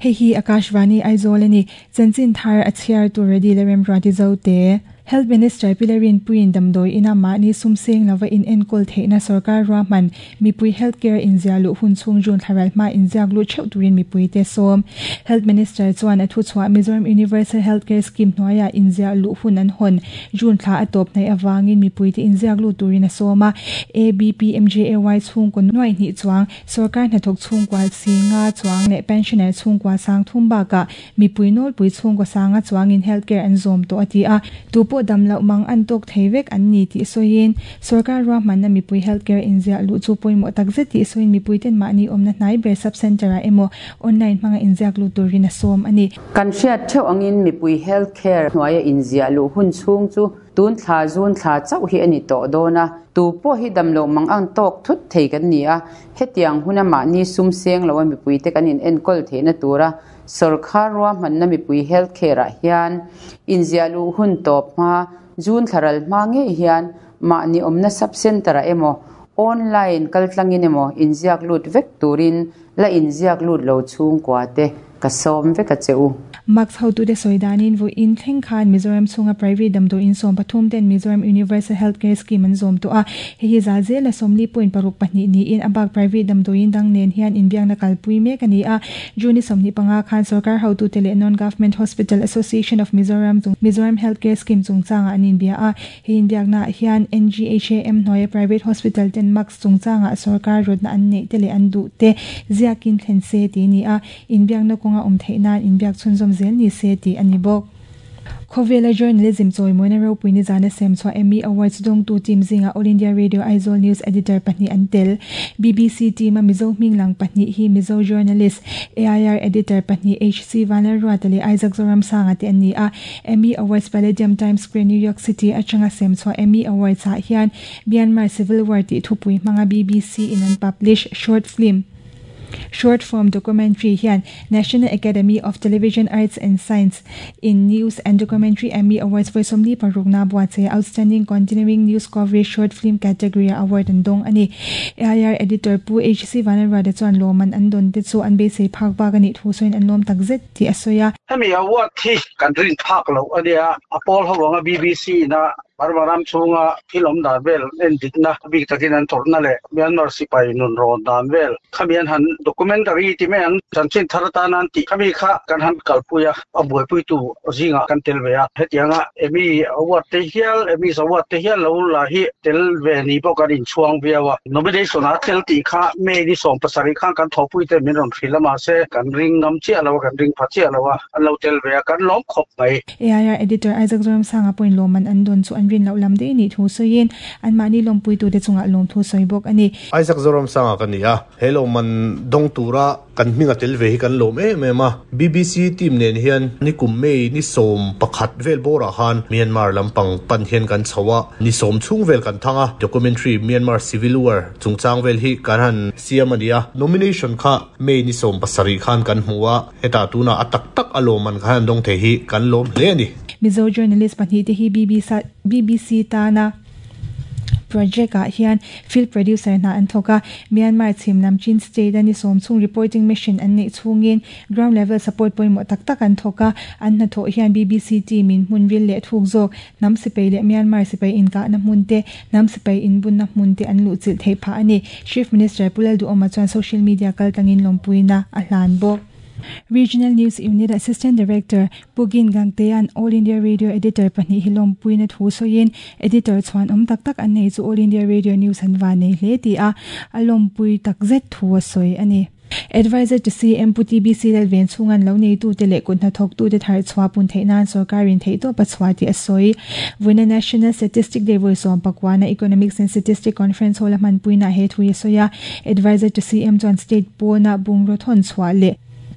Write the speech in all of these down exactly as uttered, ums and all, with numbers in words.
Hei hi Akashvani Aizawl ani chanchin thar a chhiar tur ready le remruati zote Health Minister Pilarin Puin Damdoi ina mahni sumseng lova in enkol theihna sarkar ruahman mipui healthcare in ziahluh hun chhung June thlaral hma in ziak lut theuh turin mipui te sawm Health Minister chuan a thu chhuah Mizoram Universal Healthcare Scheme hnuaiah in ziahluh hun an hawn June thla a tawp hnaih awangin mipui te in ziak lut turin a sawm a A B P M J A Y chhungkaw nuai hnih chuang sarkar hnathawk chhungkua singa chuang leh pensioner chhungkua sang thum bakah mipui nawlpui chhungkaw sanga chuangin healthcare an zawm tawh a ti a tu pawh dam loh mang an tawk thei vek an ni tih sawiin sarkar ruahmanna mipui healthcare in ziah luh chu pawimawh tak zet tih sawiin mipui ten mahni awmna hnai ber sub center ah emaw online hmanga in ziak lut turin a sawm ani kan hriat theuh angin mipui healthcare hnuaia in ziah luh hun chhung chu tun thla zun thla chauh hi ani tawh dawn a tu pawh hi dam loh mang ang tawk thut thei kan ni a hetiang huna mahni sum seng lo a mipui te kan in enkawl theihna tura sarkar ruahmanna mipui healthcare ah hian in ziah luh hun tawp hma June thlaral hma ngei hian mahni awmna sub center ah emaw online kaltlangin emaw in ziak lut vek turin la in ziak lut lo chhungkua te ka sawm vek a che u Max hotu te soidanin vo in thleng khan Mizoram chhunga private damdawi in sawm pathum ten Mizoram Universal Healthcare Scheme an zawm tawh a hei hi zal zel a sawmli point paruk pahnih niin a bak private damdawi in dang nen hian inbiakna kalpui mek ani a June ni sawmhnih panga khan sarkar hotu te leh Non Government Hospital Association of Mizoram chung Mizoram Healthcare Scheme chungchangah an inbia a hei inbiakna ah hian N G H A M hnuaia private hospital ten max chungchangah sarkar rawtna an neih te leh an duh te ziakin thlen se ti ni a inbiakna kawnga awm theih nan inbiak chhunzawm zel ni se ti ani bawk Khawvela journalism chawimawina ropui ni zana sem chhuah Emmy Awards dawngtu team zinga All India Radio Aizawl News Editor pahnih an tel B B C team a Mizo hming lang pahnih hi Mizo journalist A I R Editor pahnih H C Vanlalruata leh Isaac Zoramsanga te an ni a Emmy Awards Palladium Times Square New York City atanga sem chhuah Emmy Awards ah hian Myanmar Civil War tih thupui hmanga B B C in an publish short film Short form documentary hian National Academy of Television Arts and Science in News and Documentary Emmy Awards vawi sawmli paruk na buatsaih Outstanding Continuing News Coverage Short Film Category ah award an dawng ani A I R Editor Pu H C Vanlalruata chuan lawman an dawn te chu an beisei phak bak ani thu sawiin an lawm tak zet tih a sawi a hemi award hi kan rin phak lo ania a pawl ho anga B B C na Barbaram chhunga thil awm dan vel en dikna bik takin an tawrhna leh Myanmar sipai nun rawn dan vel khami an han documentary ti mai ang chanchin thar atan an tih khami kha kan han kalpui a a buaipui tu zinga kan tel ve a hetianga Emmy award te hial Emmy award te hial lo la hi tel ve ni pawh kan inchhuang viau a nomination a tel tih kha May ni sawm pasarih khan kan thawhpui te min rawn hrilh a mahse kan ring ngam chiah lo a kan ring pha chiah lo a an lo tel ve a kan lawm khawp mai A I R Editor Isaac Zoramsanga pawhin lawman an dawn chu an rin loh lam daih ni thu sawiin an mahni lawmpui tu te chungah lawm thu sawi bawk ani Isaac Zoramsanga ka ni a he lawman dawng tura kan hminga tel ve hi kan lawm em em a B B C team nen hian ni kum May ni sawm pakhat vel bawrah khan Myanmar lampang pan hian kan chho a ni sawm chhung vel kan thang a documentary Myanmar Civil War chungchang vel hi kan han siam ani a nomination kha May ni sawm pasarih khan kan hmu a heta tuna a tak tak a lawman khan an dawng thei hi kan lawm hle ani Mizo journalist pahnih te hi B B C B B C tana project ah hian field producer hna an thawk a Myanmar chhim lam Chin State ani sawm chhung reporting mission an neih chhungin ground level support pawimawh tak tak an thawk a an hnathawh hian B B C team in hmun ril leh thuk zawk hnam sipai leh Myanmar sipai inkahna hmun te hnam sipai inbunna hmun te an luh chilh theih phah ani Chief Minister Pu Lalduhawma chuan social media kaltlangin lawmpuina a hlan bawk Regional News Unit Assistant Director Pugin Gangtean All India Radio Editor pahnih hi lawmpuina thu sawiin editor chuan awm tak tak an nei chu All India Radio News an van nei hle ti a a lawmpui tak zet thu a sawi ani Advisor to C M Pu T B C Lalven chhungan lo nei tu te leh kut hnathawk tu te thar chhuah pun theih nan sarkarin theih tawp a chhuah tih a sawi Vawiina National Statistic Day vawi sawm pakwana Economics and Statistic Conference hall a hmanpuina he thu a sawi a Advisor to C M chuan state pawna bungraw thawn chhuah leh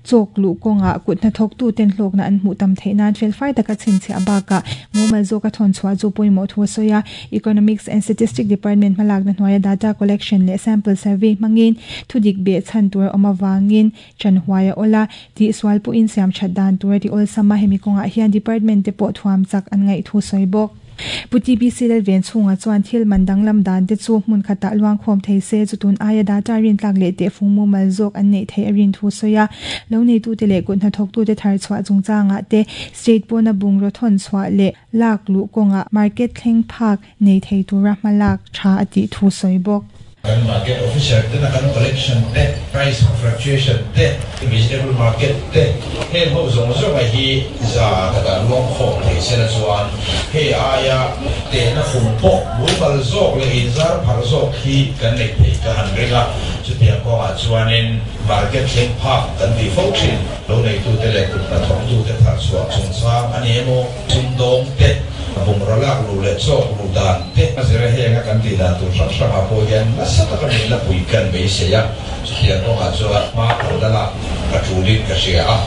chawk luh kawnga kut hnathawk tu ten hlawkna an hmuh tam theih nan fel fai taka chhinchhiah bakah mumal zawk a thawn chhuah chu pawimawh thu a sawi a Economics and Statistic Department hmalakna hnuaia data collection leh sample survey hmangin thudik beh chhan tur awm awangin chanhuai a awla tih sual pawhin siam that dan tur ti awlsam a hemi kawngah hian department te pawh thuam chak an ngaih thu sawi bawk. Puti B C lel ven chunga chuan thil man danglam dan te chu hmun khata luang khom thei se chu tun aia data rin tlak le te fungmu mal zawk an nei thei a rin thu soya lo nei tu te le kun hna thok tu te thar chhuah chungchanga te state pawna bungro thon chhuah le lak lu konga market thleng phak nei thei tura hmalak tha ati thu soi bawk. Kan market officer te na kan collection te price fluctuation te vegetable market te heng ho zong zong a hi za ta luang khom thei se na chuan he aya te na fung pok mu bal zawk le in zar phar zawk hi kan nei thei ka han ringa chutia ko a chuanin market thleng phak kan ti fo thin lo nei tu te le kut na thok tu te thar chuak chung sang ani emo chung dong te bung ralak lu le chok lu dan te azira henga kan ti dan tu hrang hrang a po hian nasa taka min la pui kan be se ya chutia ko a chuan ma ko dala ka tulin ka sia a.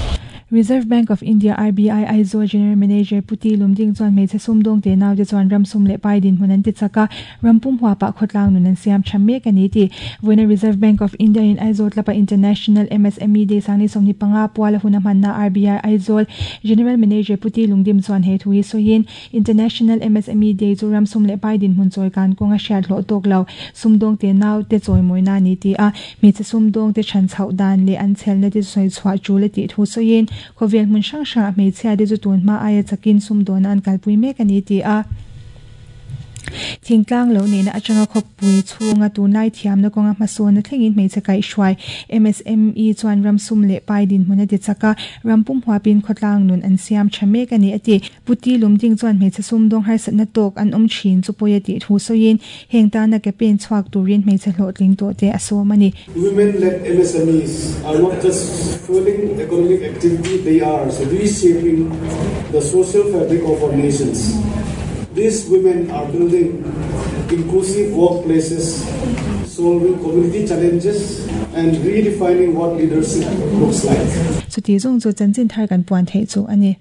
Reserve Bank of India R B I Aizawl General Manager Puti Lumding chuan hmeichhe sumdawng te nau te chuan ram sum leh pai din hmun an ti chaka rampum hua pa khawtlang nun an siam tha mek ani ti voina Reserve Bank of India in Aizawl tlapa International M S M E Day sangni sawmni panga puala hun a hmanna R B I Aizawl General Manager Puti Lungdim chuan he thu hi sawiin International M S M E Day chu ram sum leh pai din hmun chawi kan kawnga hriat hlawh tawk lo sumdawng te nau te chawi mawina ani ti a hmeichhe sumdawng te than chhoh dan leh an chhelna te sawi chhuah tul a tih thu sawiin khawvel hmun hrang hrang a hmeichhia te chu tun hma aia chakin sumdawn an kalpui mek ani ti a thingtlang lo nena atanga khawpui chhunga tunlai thiamna kawnga hmasawn thlengin hmeichhe kaihhruai M S M E chuan ram sum leh pai din hmun a ti chaka rampum huapin khawtlang nun an siam tha mek ani ati Puti Lumding chuan hmeichhe sumdawng harsatna tawk an awm thin chu pawi a tih thu sawiin heng tana ke pen chhuak turin hmeichhe hlawhtling tawh te a sawm ani. Women-led M S M Es are not just fueling economic activity, they are reshaping the social fabric of our nations. These women are building inclusive workplaces, solving community challenges, and redefining what leadership looks like. Chuti zong chu chanchin thar kan puan thei chu ani.